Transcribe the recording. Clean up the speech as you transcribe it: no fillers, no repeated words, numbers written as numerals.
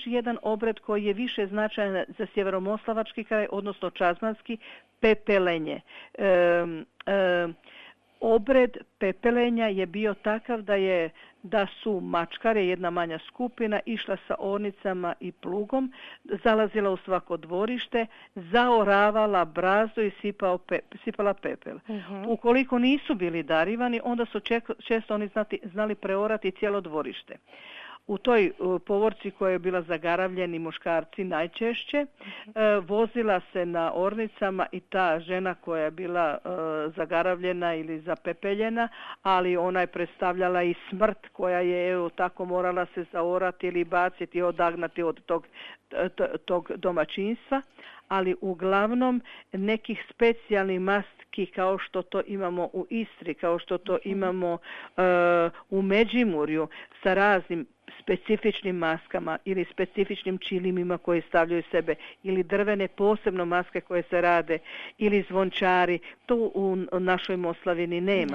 još jedan obred koji je više značajan za sjeveromoslavački kraj, odnosno čazmanski, pepelenje. Obred pepelenja je bio takav da su mačkare, jedna manja skupina, išla sa ornicama i plugom, zalazila u svako dvorište, zaoravala brazdu i sipala pepel. Ukoliko nisu bili darivani, onda su često oni znali preorati cijelo dvorište. U toj povorci koja je bila zagaravljeni muškarci najčešće, vozila se na ornicama i ta žena koja je bila zagaravljena ili zapepeljena, ali ona je predstavljala i smrt koja je tako morala se zaorati ili baciti, odagnati od tog domaćinstva, ali uglavnom nekih specijalnih mastki kao što to imamo u Istri, kao što to imamo u Međimurju sa raznim specifičnim maskama ili specifičnim čilimima koje stavljaju sebe, ili drvene posebno maske koje se rade, ili zvončari, to u našoj Moslavini nema.